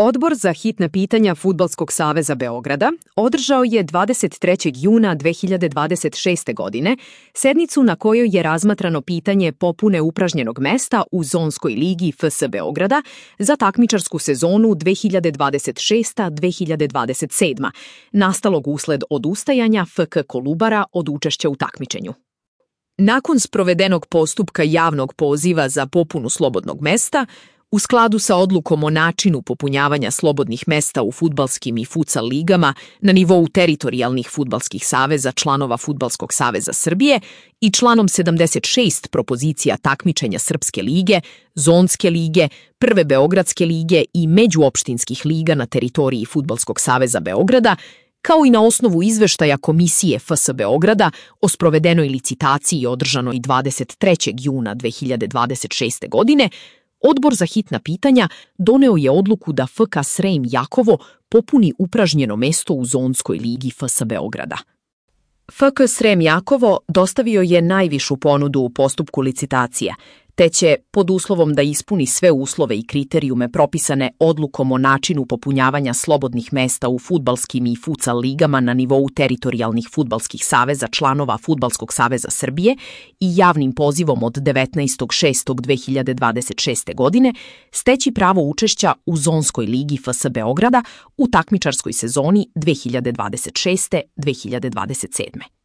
Odbor za hitna pitanja Fudbalskog saveza Beograda održao je 23. juna 2026. godine sednicu na kojoj je razmatrano pitanje popune upražnjenog mesta u Zonskoj ligi FS Beograda za takmičarsku sezonu 2026-2027, nastalog usled odustajanja FK Kolubara od učešća u takmičenju. Nakon sprovedenog postupka javnog poziva za popunu slobodnog mesta, u skladu sa odlukom o načinu popunjavanja slobodnih mesta u fudbalskim i futsal ligama na nivou teritorijalnih fudbalskih saveza članova Fudbalskog saveza Srbije i članom 76 propozicija takmičenja Srpske lige, Zonske lige, Prve Beogradske lige i međuopštinskih liga na teritoriji Fudbalskog saveza Beograda, kao i na osnovu izveštaja Komisije FS Beograda o sprovedenoj licitaciji održanoj 23. juna 2026. godine, Odbor za hitna pitanja doneo je odluku da FK Srem Jakovo popuni upražnjeno mesto u Zonskoj ligi FS Beograda. FK Srem Jakovo dostavio je najvišu ponudu u postupku licitacije, te će, pod uslovom da ispuni sve uslove i kriterijume propisane odlukom o načinu popunjavanja slobodnih mesta u fudbalskim i futsal ligama na nivou teritorijalnih fudbalskih saveza članova Fudbalskog saveza Srbije i javnim pozivom od 19.6.2026. godine, steći pravo učešća u Zonskoj ligi FS Beograda u takmičarskoj sezoni 2026-2027.